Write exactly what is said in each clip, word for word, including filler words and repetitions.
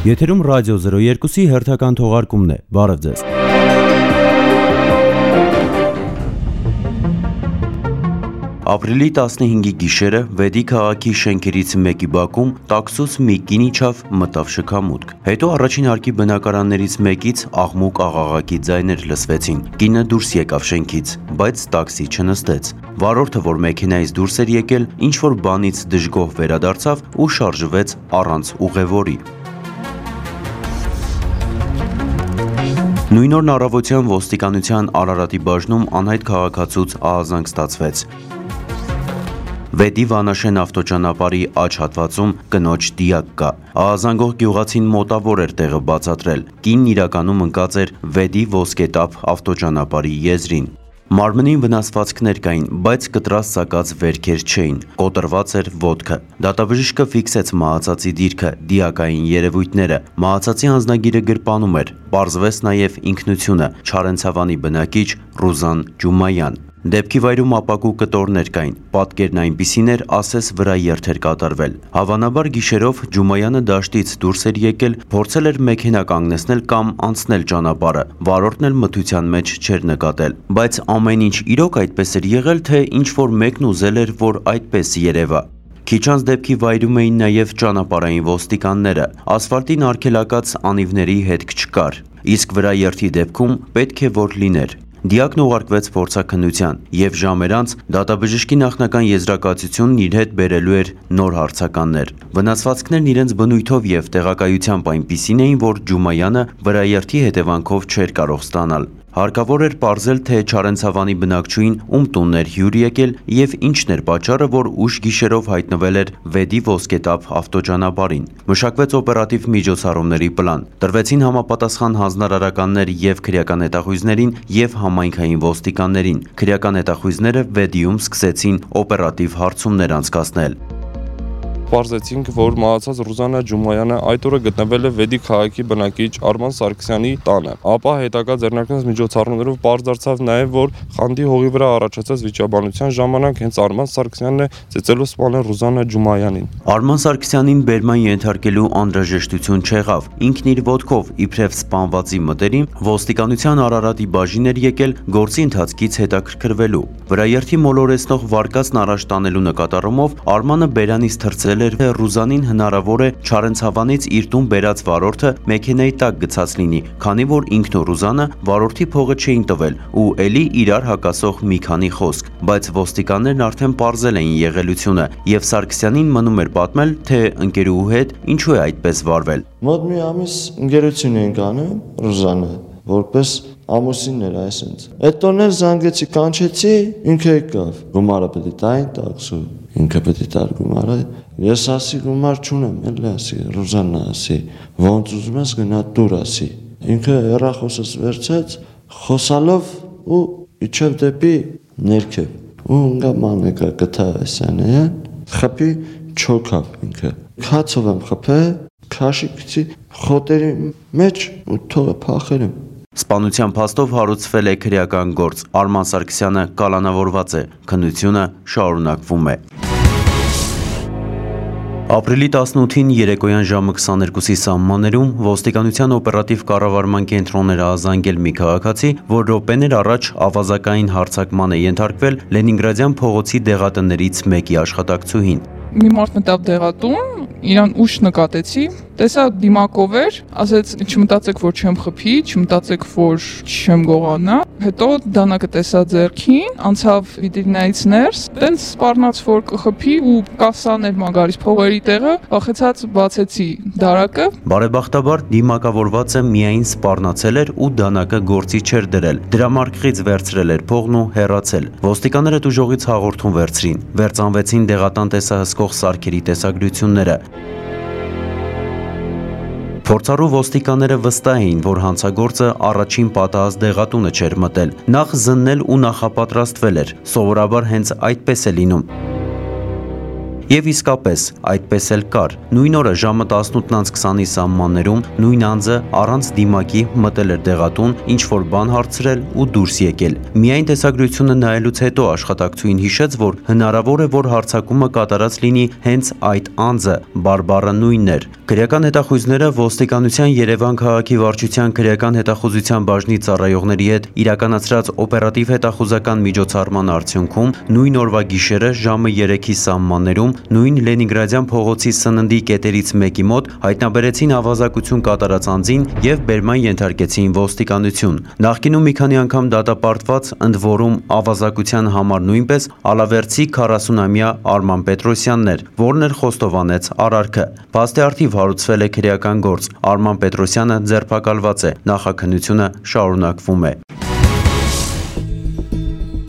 Եթերում ռադիո զրո երկուսի հերթական թողարկումն է, բարև ձեզ։ Ապրիլի տասնհինգի գիշերը Վեդի քաղաքի շենքերից մեկի բակում տաքսուց մի կին իջավ, մտավ շքամուտք։ Հետո առաջին հարկի բնակարաններից մեկից աղմուկ աղաղակի ձայներ լսվեցին։ Կինը դուրս եկավ շենքից, բայց տաքսի չնստեց։ Վարորդը, որ մեքենայից դուրս էր եկել, ինչ-որ բանից դժգոհ վերադարձավ ու շարժվեց առանց ուղևորի։ Նույն օրն առավոտյան ոստիկանության Արարատի բաժնում անհայտ քաղաքացուց ահազանգ ստացվեց։ Վեդի Վանաշեն ավտոճանապարհի աջ հատվածում կնոջ դիակ կա։ Ահազանգող գյուղացին մոտավոր էր տեղը բացատրել։ Կինն իրականում ընկած էր Վեդի ոսկետափ ավտոճանապարհի եզրին։ Մարմնին վնասվածքներ կային, բայց կտրած սակած վերքեր չէին, կոտրված էր ոտքը։ Դատաբժիշկը ֆիքսեց մահացածի դիրքը, դիակային երևույթները, մահացածի անձնագիրը գրպանում էր, պարզվեց նաև ինքնությունը՝ Չարենցավանի բնակիչ Ռուզան Ջումայան։ Դեպքի վայրում ապակու կտորներ կային, պատկերն այնպիսին էր, ասես վրա երթ էր կատարվել։ Հավանաբար գիշերով Ջումայանը դաշտից դուրս էր եկել, փորձել էր մեքենա կանգնեցնել կամ անցնել ճանապարհը, վարորդն էլ մթության մեջ չէր նկատել։ Բայց ամեն ինչ իրոք այդպես էր եղել, թե ինչ-որ մեկն ուզել էր, որ այդպես երևա։ Քիչ անց դեպքի վայրում էին նաև ճանապարհային ոստիկանները։ Ասֆալտին արգելակած անիվների հետք չկար, իսկ վրա երթի դեպքում պետք է որ լիներ։ Դիակն ուղարկվեց փորձաքննության, և ժամեր անց դատաբժշկի նախնական եզրակացությունն իր հետ բերելու էր նոր հարցականներ։ Վնասվածքներն իրենց բնույթով և տեղակայությամբ այնպիսին էին, որ Ջումայանը վրաերթի հետևանքով չէր կարող ստանալ։ Հարկավոր էր պարզել, թե Չարենցավանի բնակչուհին ում տունն էր հյուր եկել և ինչն էր պատճառը, որ ուշ գիշերով հայտնվել էր Վեդի ոսկետափ ավտոճանապարհին։ Մշակվեց օպերատիվ միջոցառումների պլան։ Տրվեցին համապատասխան հանձնարարականներ և քրեական հետախույզներին և համայնքային ոստիկաններին։ Քրեական հետախույզները Վեդիում սկսեցին օպերատիվ հարցումներ անցկացնել։ Պարզեցինք, որ մահացած Ռուզանա Ջումայանը այդ օրը գտնվել է Վեդի քաղաքի բնակիչ Արման Սարգսյանի տանը։ Ապա հետագա ձեռնարկած միջոցառումներով պարզ դարձավ նաև, որ խանդի հողի վրա առաջացած վիճաբանության ժամանակ հենց Արման Սարգսյանն է ծեծելով սպանել Ռուզանա Ջումայանին։ Արման Սարգսյանին բերման ենթարկելու անհրաժեշտություն չեղավ։ Ինքն իր ոտքով, իբրև սպանվածի մտերիմ, ոստիկանության Արարատի բաժին էր եկել գործի ընթացքից հետաքրքրվելու։ Վրաերթի մոլորեցնող վարկածն առաջ տանելու նկատառումով Արմանը բերանից թռցրել էր, թե Ռուզանին հնարավոր է Չարենցավանից իր տուն բերած վարորդը մեքենայի տակ գցած լինի, քանի որ ինքն ու Ռուզանը վարորդի փողը չէին տվել ու էլի իրար հակասող մի քանի խոսք, բայց ոստիկաններն արդեն պարզել էին եղելությունը և Սարգսյանին մնում էր պատմել, թե ընկերուհու հետ ինչու է այդպես վարվել։ Մոտ մի ամիս ընկերություն էինք անում Ռուզանը, որպես ամուսիններ այսինչ։ Այդ տոներ զանգեցի, կանչեցի, ինքը եկավ։ Գումարը պետք է տային տաքսու, ինքը պետք է տար գումարը։ Ես ասի գումար չունեմ, էլի ասի, Ռուզանա ասի, ոնց ուզում ես գնա տուր ասի։ Ինքը հեռախոսս վերցեց, խոսալով ու իջավ դեպի ներքև։ Ու ընկա մանեկա գտա այսանը, խփի չոքավ ինքը։ Քացով եմ խփել, քաշի գցի խոտերի մեջ ու թողը փախել եմ։ Սպանության փաստով հարուցվել է քրեական գործ։ Արման Սարգսյանը կալանավորված է։ Քննությունը շարունակվում է։ Ապրիլի տասնութին երեկոյան ժամը քսաներկուսի սահմաններում ոստիկանության օպերատիվ կառավարման կենտրոններ ահազանգել մի քաղաքացի, որ րոպեներ առաջ ավազակային հարձակման է ենթարկվել Լենինգրադյան փողոցի դեղատներից մեկի աշխատակցուհին։ Մի մարդ մտավ դեղատուն, իրան ուշ նկատեցի, տեսա դիմակով էր, ասեց չմտածեք, որ չեմ խփի, չմտածեք, որ չեմ գողանա։ Հետո դանակը տեսա ձեռքին, անցավ վիտրինայից ներս, տենց սպառնաց, որ կխփի ու կասաներ մագարից փողերի տեղը, վախեցած բացեցի դարակը։ Բարեբախտաբար դիմակավորվածը միայն սպառնացել էր ու դանակը գործի չէր դրել։ Դրամարկղից վերցրել էր փողն ու հեռացել։ Ոստիկանները տուժողից հաղորդում վերցրին, վերծանվեցին դեղատան տեսահսկող սարքերի տեսագրությունները։ Փորձառու ոստիկանները վստահ էին, որ հանցագործը առաջին պատահած դեղատունը չէր մտել, նախ զննել ու նախապատրաստվել էր, սովորաբար հենց այդպես է լինում։ Եվ իսկապես, այդպես էլ կար։ Նույն օրը ժամը տասնութ քսանի սահմաններում նույն անձը առանց դիմակի մտել էր դեղատուն, ինչ-որ բան հարցրել ու դուրս եկել։ Միայն տեսագրությունը նայելուց հետո աշխատակցուհին հիշեց, որ հնարավոր է, որ հարձակումը կատարած լինի հենց այդ անձը, բարբառը նույնն էր։ Քրեական հետախույզները ոստիկանության Երևան քաղաքի վարչության քրեական հետախուզության բաժնի ծառայողների հետ իրականացրած օպերատիվ հետախուզական միջոցառման արդյունքում նույն օրվա գիշերը ժամը երեքի սահմաններում նույն Լենինգրադյան փողոցի սննդի կետերից մեկի մոտ հայտնաբերեցին ավազակություն կատարած անձին եւ բերման ենթարկեցին ոստիկանություն։ Նախկինում մի քանի անգամ դատապարտված, ընդ որում ավազակության համար նույնպես ալավերցի քառասունամյա Արման Պետրոսյանն էր, որն էր խոստովանեց արարքը։ Փաստի առթիվ հարուցվել է քրեական գործ։ Արման Պետրոսյանը ձերբակալված է։ Նախաքննությունը շարունակվում է։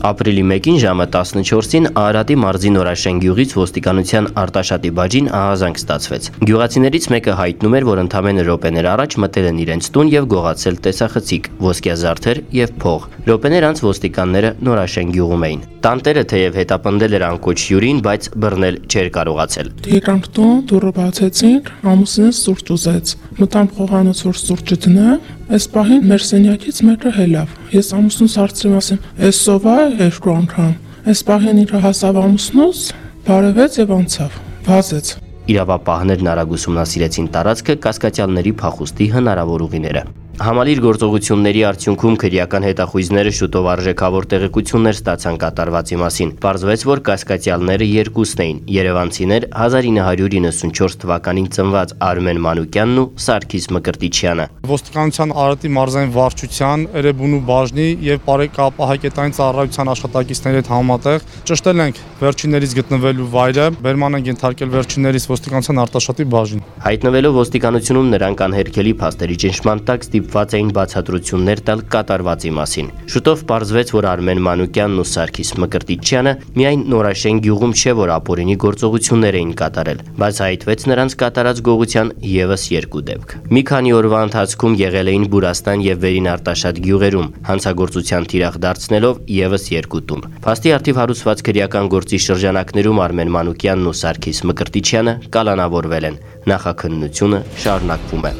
Ապրիլի մեկին ժամը տասնչորսին Արարատի մարզի Նորաշեն գյուղից ոստիկանության Արտաշատի բաժին ահազանգ ստացվեց։ Գյուղացիներից մեկը հայտնում էր, որ ընդամենը րոպեներ առաջ մտել են իրենց տուն եւ գողացել տեսախցիկ, ոսկյա զարդեր եւ փող։ Րոպեներ անց ոստիկանները Նորաշեն գյուղում էին։ Տանտերը թեև հետապնդել էր անկոչ հյուրին, բայց բռնել չէր կարողացել։ Եկանք տուն, դուռը բացեցինք, ամուսինս սուրճ ուզեց։ Մտամ խոհանոց, որ սուրճը դնեմ, այս պահին մեր սենյակից մեկը հելավ։ Ես ամուսնուս հարցրեմ, ասեմ, «Էս սովա է երկու անգամ»։ Այս պահին իր հասավ ամուսնուս, բարևեց եւ անցավ, վազեց։ Իրավապահներն արագ ուսումնասիրեցին տարածքը, կասկածյալների փախուստի հնարավոր ուղիները։ Համալիր գործողությունների արդյունքում քրեական հետախույզները շուտով արժեքավոր տեղեկություններ ստացան կատարվածի մասին։ Պարզվեց, որ կասկածյալները երկուսն էին՝ երևանցիներ հազար ինը հարյուր իննսունչորս թվականին ծնված Արմեն Մանուկյանն ու Սարգիս Մկրտիչյանը։ Ոստիկանության Արարատի մարզային վարչության, Էրեբունու բաժնի եւ Պարեկապահակետային ծառայության աշխատակիցների հետ համատեղ ճշտել ենք վերջիններից գտնվելու վայրը, բերման ենք ենթարկել վերջիններից ոստիկանության Արտաշատի բաժին։ Հայտնվելով ոստիկանությունում նրանք անհերքելի փաստերի ճնշման տակ ստիպված էին բացատրություններ տալ կատարվածի մասին։ Շուտով պարզվեց, որ Արմեն Մանուկյանն ու Սարգիս Մկրտիչյանը միայն Նորաշեն գյուղում չէ, որ ապօրինի գործողություններ էին կատարել, բայց հայտնվեց նրանց կատարած գողության եւս երկու դեպք։ Մի քանի օրվա ընթացքում եղել էին Բուրաստան եւ Վերին Արտաշատ գյուղերում, հանցագործության թիրախ դարձնելով եւս երկու տուն։ Փաստի առթիվ հարուցված քրեական գործի շրջանակներում Արմեն Մանուկյանն ու Սարգիս Մկրտիչյանը կալանավորվել են։ Նախաքննությունը շարունակվում է։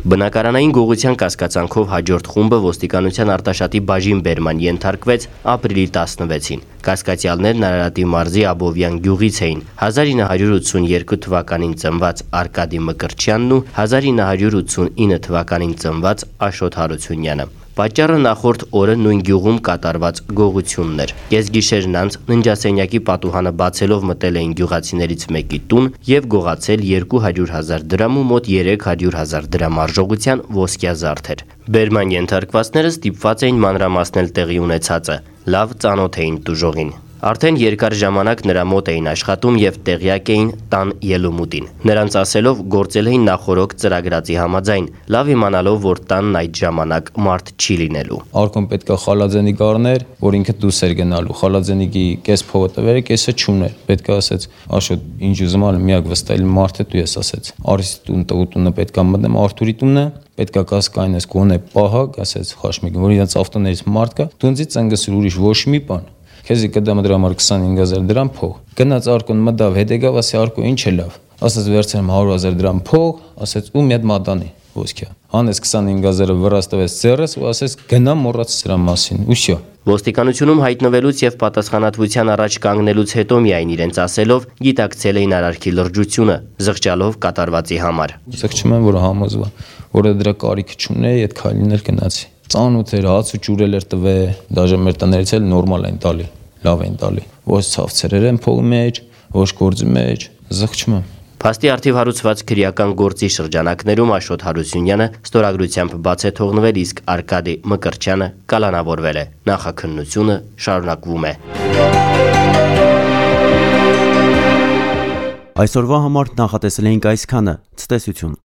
Բնակարանային գողության կասկածանքով հաջորդ խումբը ոստիկանության Արտաշատի բաժին բերման ենթարկվեց ապրիլի տասնվեցին։ Կասկածյալներն Արարատի մարզի Աբովյան գյուղից էին՝ հազար ինը հարյուր ութսուներկու թվականին ծնված Արկադի Մկրտչյանն ու հազար ինը հարյուր ութսունինը թվականին ծնված Աշոտ Հարությունյանը։ Պատճառը նախորդ օրը նույն գյուղում կատարված գողությունն էր։ Կեսգիշերն անց ննջասենյակի պատուհանը բացելով մտել էին գյուղացիներից մեկի տուն եւ գողացել երկու հարյուր հազար դրամ ու մոտ երեք հարյուր հազար դրամ արժողության ոսկյա զարդեր։ Բերման ենթարկվածները ստիպված էին մանրամասնել տեղի ունեցածը։ Լավ ծանոթ էին տուժողին։ Արդեն երկար ժամանակ նրա մոտ էին աշխատում եւ տեղյակ էին տան ելումուտին։ Նրանց ասելով գործել էին նախորոք ծրագրածի համաձայն, լավ իմանալով, որ տանն այդ ժամանակ մարդ չի լինելու։ Արկոն պետքա խալաձենիկ առներ, որ ինքը դուրս էր գնալու։ Խալաձենիկի կես փողը տվերը, կեսը չուներ։ Պետքա ասեց, Աշոտ, ինչ ուզում ալ միակ վստահել մարդ է, դու ես ասեց։ Արիսի տուն տուտունը պետքա մտնեմ Արթուրի տունը, պետքա կասկայնես կոնե պահակ, ասեց Խաշմիկ, որ իրաց ավտոներից մարդ կա, դունցի ծնգսր ուրիշ ոչ մի բան։ Քեզի կդամ դրա համար քսանհինգ հազար դրամ փող։ Գնաց Արկոն մտավ, հետ եկավ, ասի Արկո ինչ է լավ։ Ասաց վերցրեմ հարյուր հազար դրամ փող, ասաց ու մի հատ մատանի ոսկյա։ Հանեց քսանհինգ հազարը վրաս տվեց ձեռս ու ասեց գնա մոռաց սրա մասին ու շո։ Ոստիկանությունում հայտնվելուց եւ պատասխանատվության առաջ կանգնելուց հետո միայն իրենց ասելով գիտակցել էին արարքի լրջությունը, զղջալով կատարվածի համար։ Զղջում եմ, որ համոզվա, որ դրա կարիքը չունեի, այդ քայլին էլ գնացի։ Ծանոթ էր, հաց ու ջուրել էր տվե, դաժե մեր տներից էլ նորմալ են տալի, լավ են տալի։ Ոչ ցավցերեր են փողի մեջ, ոչ գործի մեջ, զղջում եմ։ Փաստի առթիվ հարուցված քրեական գործի շրջանակներում Աշոտ Հարությունյանը ստորագրությամբ բաց է թողնվել, իսկ Արկադի Մկրտչյանը կալանավորվել է։ Նախաքննությունը շարունակվում է։ Այսօրվա համար նախատեսել էինք այսքանը։ Ցտեսություն։